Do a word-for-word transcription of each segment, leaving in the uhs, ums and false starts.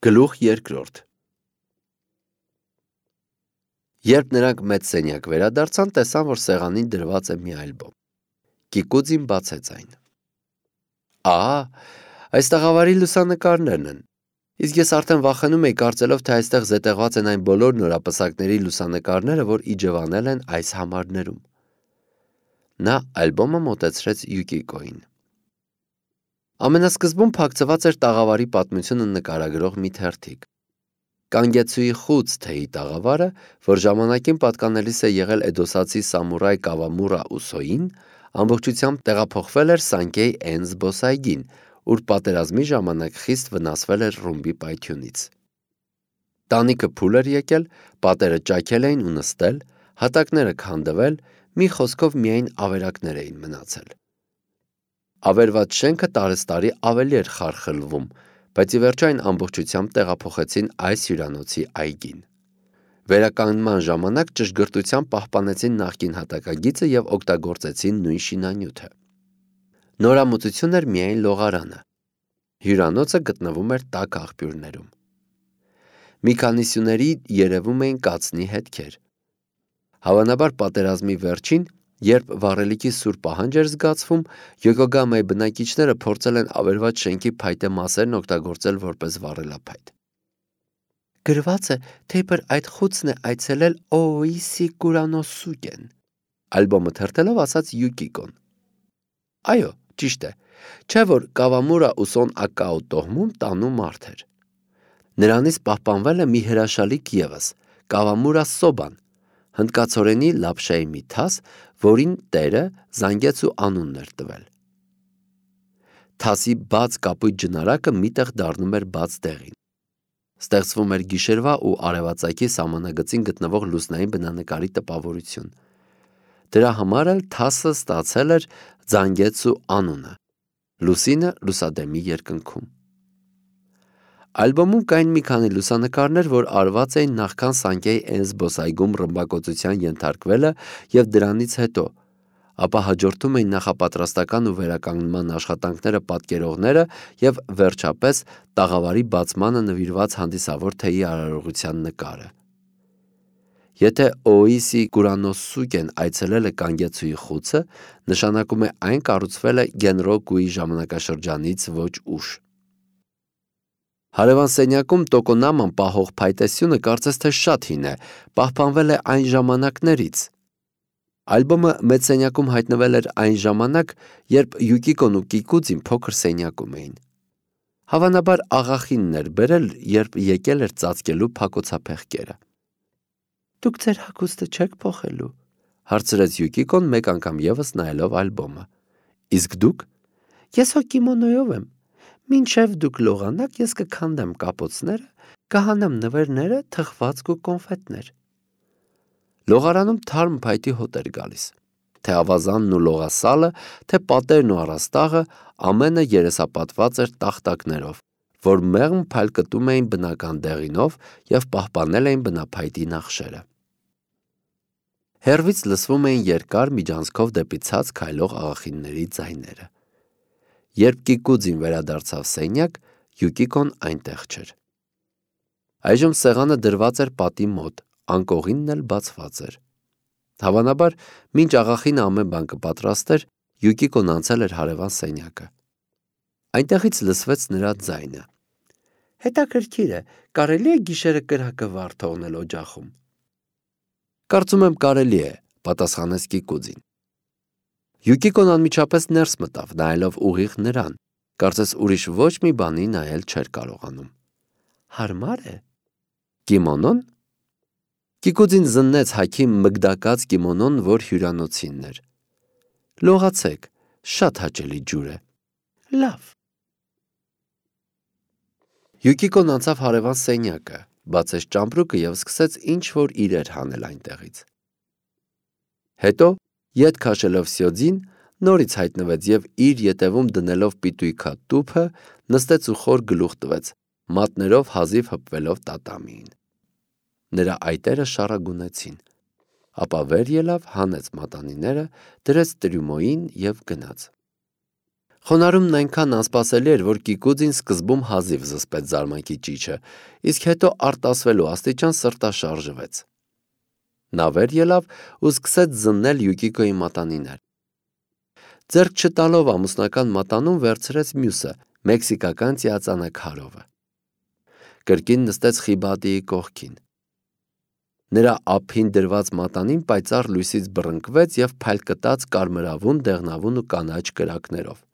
Գլուխ երկրորդ Երբ նրանք մեծ սենյակ վերադարձան, տեսան, որ սեղանին դրված է մի ալբոմ։ Կիկուձին բացեց այն։ Ահա, այս տաղավարի լուսանկարներն են։ Իսկ ես արդեն վախենում էի, կարծելով, թե այստեղ զետեղված են այն բոլոր նորապսակների լուսանկարները, որ իջևանել են այս համարներում։ Նա ալբոմը մոտեցրեց Յուկիկոին։ Ամենասկզբում փակցված էր տաղավարի պատմությունը նկարագրող մի թերթիկ։ Կանգեցուի խուց թեյի տաղավարը, որ ժամանակին պատկանելիս է եղել էդոսացի սամուրայ Կավամուրա Ուսոյին, ամբողջությամբ տեղափոխվել էր Սանկեյ Էն զբոսայգին, ուր պատերազմի ժամանակ խիստ վնասվել էր ռումբի պայթյունից։ Տանիքը փուլ էր եկել, պատերը ճաքել էին ու նստել, հատակները քանդվել, մի խոսքով միայն ավերակներ էին մնացել։ Ավերված շենքը տարեստարի ավելի էր խարխլվում, բայց ի վերջո այն ամբողջությամբ տեղափոխեցին այս հյուրանոցի այգին։ Վերականգնման ժամանակ ճշգրտությամբ պահպանեցին նախկին հատակագիծը և օգտագործեցին նույն շինանյութը։ Նորամուծություն էր միայն լողարանը։ Հյուրանոցը գտնվում էր տաք աղբյուրներում։ Մի քանի սյուների երևում էին կացնի հետքեր։ Հավանաբար պատերազմի վերջին, երբ վառելիքի սուր պահանջ էր զգացվում, Յոկոգամայի բնակիչները փորձել են ավերված շենքի փայտե մասերն օգտագործել որպես վառելափայտ։ Գրված է, թե իբր այդ խուցն է այցելել Օօիսի Կուրանոսուկեն, ալբոմը թերթելով ասաց Յուկիկոն։ Այո, ճիշտ է, չէ որ Կավամուրա Ուսոն Ակաո տոհմում տանու մարդ էր։ Նրանից պահպանվել է մի հրաշալիք ևս, Կավամուրա Սոբան, հնդկացորենի լապշայի մի թաս, որին տերը Զանգեցու անունն էր տվել։ Թասի բաց կապույտ ջնարակը միտեղ դառնում էր բաց դեղին։ Ստեղծվում էր գիշերվա ու արևածագի սահմանագծին գտնվող լուսնային բնանկարի տպավորություն։ Դրա համար էլ թասը ստացել էր Զանգեցու անունը, լուսինը լուսադեմի երկնքում։ Ալբոմում կային մի քանի լուսանկարներ, որ արված էին նախքան Սանկեյ Էն զբոսայգում ռմբակոծության ենթարկվելը և դրանից հետո, ապա հաջորդում էին նախապատրաստական ու վերականգնման աշխատանքները պատկերողները և վերջապես տաղավարի բացմանը նվիրված հանդիսավոր թեյի արարողության նկարը։ Եթե Օօիսի Կուրանոսուկեն այցելել է Կանգեցուի խուցը, նշանակում է այն կառուցվել է Գենրոկուի ժամանակաշրջանից ոչ ուշ։ Հարևան սենյակում տոկոնաման պահող փայտեսյունը կարծես թե շատ հին է, պահպանվել է այն ժամանակներից։ Ալբոմը մեծ սենյակում հայտնվել էր այն ժամանակ, երբ Յուկիկոն ու Կիկուձին փոքր սենյակում էին։ Հավանաբար աղախինն էր բերել, երբ եկել էր ծածկելու փակոցափեղկերը։ Դուք ձեր հագուստը չեք փոխելու, հարցրեց Յուկիկոն մեկ անգամ ևս նայելով ալբոմը։ Իսկ դուք։ Ես հո կիմոնոյով եմ։ Մինչև դուք լողանաք, ես կքանդեմ կապոցները, կհանեմ նվերները, թխվածք ու կոնֆետներ։ Լողարանում թարմ փայտի հոտ էր գալիս։ Թե ավազանն ու լողասալը, թե պատերն ու առաստաղը, ամենը երեսապատված էր տախտակներով, որ մեղմ փայլկտում էին բնական դեղինով և պահպանել էին բնափայտի նախշերը։ Հեռվից լսվում էին երկար միջանցքով դեպի ցած քայլող աղախինների ձայները։ Երբ Կիկուձին վերադարձավ սենյակ, Յուկիկոն այնտեղ չէր։ Այժմ սեղանը դրված էր պատի մոտ, անկողինն էլ բացված էր։ Հավանաբար, մինչ աղախինը ամեն բան կպատրաստեր, Յուկիկոն անցել էր հարևան սենյակը։ Այնտեղից լսվեց նրա ձայնը։ Հետաքրքիր է, կարելի է գիշերը կրակը վառ թողնել օջախում։ Կարծում եմ կարելի է, պատասխանեց Կիկուձին։ Յուկիկոն անմիջապես ներս մտավ, նայելով ուղիղ նրան, կարծես ուրիշ ոչ մի բանի նայել չէր կարողանում։ Հարմար է։ Կիմոնոն։ Կիկուձին զննեց հագի մգդակած կիմոնոն, որ հյուրանոցինն էր։ Լողացեք, շատ հաճելի ջուր է։ Լավ։ Յուկիկոն անցավ հարևան սենյակը, բացեց ճամպրուկը և սկսեց ինչ-որ իրեր հանել այնտեղից։ Հետո, ետ քաշելով սյոձին, նորից հայտնվեց և իր ետևում դնելով պիտույքա տուփը, նստեց ու խոր գլուխ տվեց, մատներով հազիվ հպվելով տատամիին։ Նրա այտերը շառագունեցին, ապա վեր ելավ, հանեց մատանիները, դրեց տրյումոյին և գնաց։ Խոնարհումն այնքան անսպասելի էր, որ Կիկուձին սկզբում հազիվ զսպեց զարմանքի ճիչը, իսկ հետո արտասվելու աստիճան սրտաշարժվեց։ Նա վեր ելավ ու սկսեց զննել Յուկիկոյի մատանիներ։ Ձեռք չտալով ամուսնական մատանուն վերցրեց մյուսը, մեքսիկական ծիածանաքարովը։ Կրկին նստեց Խիբադիի կողքին։ Նրա ափին դրված մատանին պայծառ լույսից բռնկվեց և փայլկտաց կարմրավուն, դեղնավուն ու կանաչ կրակներով։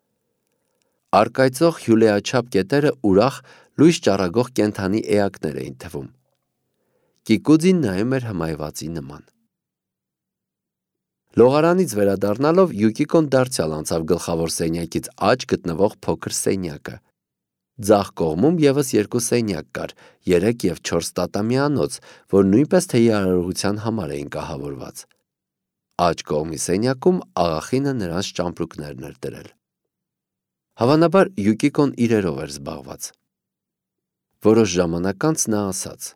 Առկայծող հյուլեաչափ կետերը ուրախ, լույս ճառագող կենդանի էակներ էին թվում։ Կիկուձին նայում էր հմայվածի նման։ Լողարանից վերադառնալով Յուկիկոն դարձյալ անցավ գլխավոր սենյակից աջ գտնվող փոքր սենյակը։ Ձախ կողմում ևս երկու սենյակ կար, երեք և չորս տատամյանոց, որ նույնպես թեյի արարողության համար էին կահավորված։ Աջ կողմի սենյակում աղախինը նրանց ճամպրուկներն էր դրել։ Հավանաբար Յուկիկոն իրերով էր զբաղված։ Որոշ ժամանակ անց նա ասաց.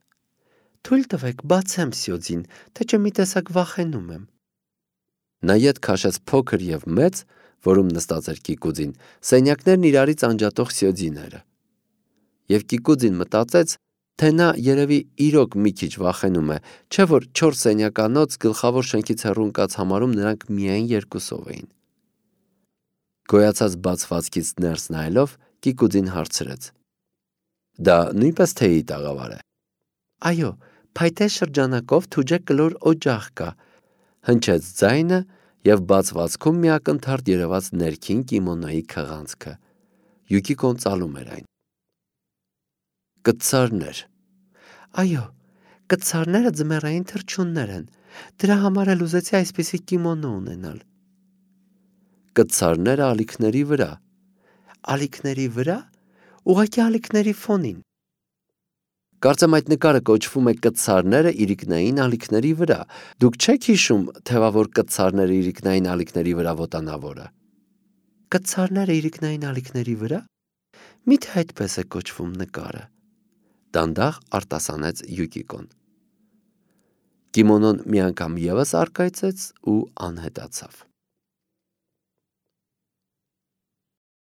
«Թույլ տվեք բացեմ սյոձին, թե չէ մի տեսակ վախենում եմ»։ Նա ետ քաշեց փոքր և մեծ, որում նստած էր Կիկուձին, սենյակներն իրարից անջատող սյոձիները։ Եվ Կիկուձին մտածեց, թե նա երևի իրոք մի քիչ վախենում է, չէ՞ որ չորս սենյականոց գլխավոր շենքից հեռու ընկած համարում նրանք միայն երկուսով էին։ Գոյացած բացվածքից ներս նայելով Կիկուձին հարցրեց. «Դա նույնպես թեյի տաղավար է»։ «Այո, փայտե շրջանակով թուջե կլոր օջախ կա», հնչեց ձայնը, և բացվածքում մի ակնթարթ երևաց ներքին կիմոնոյի քղանցքը։ Յուկիկոն ծալում էր այն։ Կտցարներ։ «Այո, կտցարները ձմեռային թռչուններ են, դրա համար էլ ուզեցի այսպիսի կիմոնո ունենալ»։ Կտցարները ալիքների վրա։ «Ալիքների վրա»։ Ուղղակի ալիքների ֆոնին։ Կարծեմ այդ նկարը կոչվում է «Կտցարները իրիկնային ալիքների վրա»։ Դուք չե՞ք հիշում թևավոր կտցարները իրիկնային ալիքների վրա ոտանավորը։ «Կտցարները իրիկնային ալիքների վրա»։ Մի՞թե այդպես է կոչվում նկարը։ Դանդաղ արտասանեց Յուկիկոն։ Կիմոնոն մի անգամ ևս առկայծեց ու անհետացավ։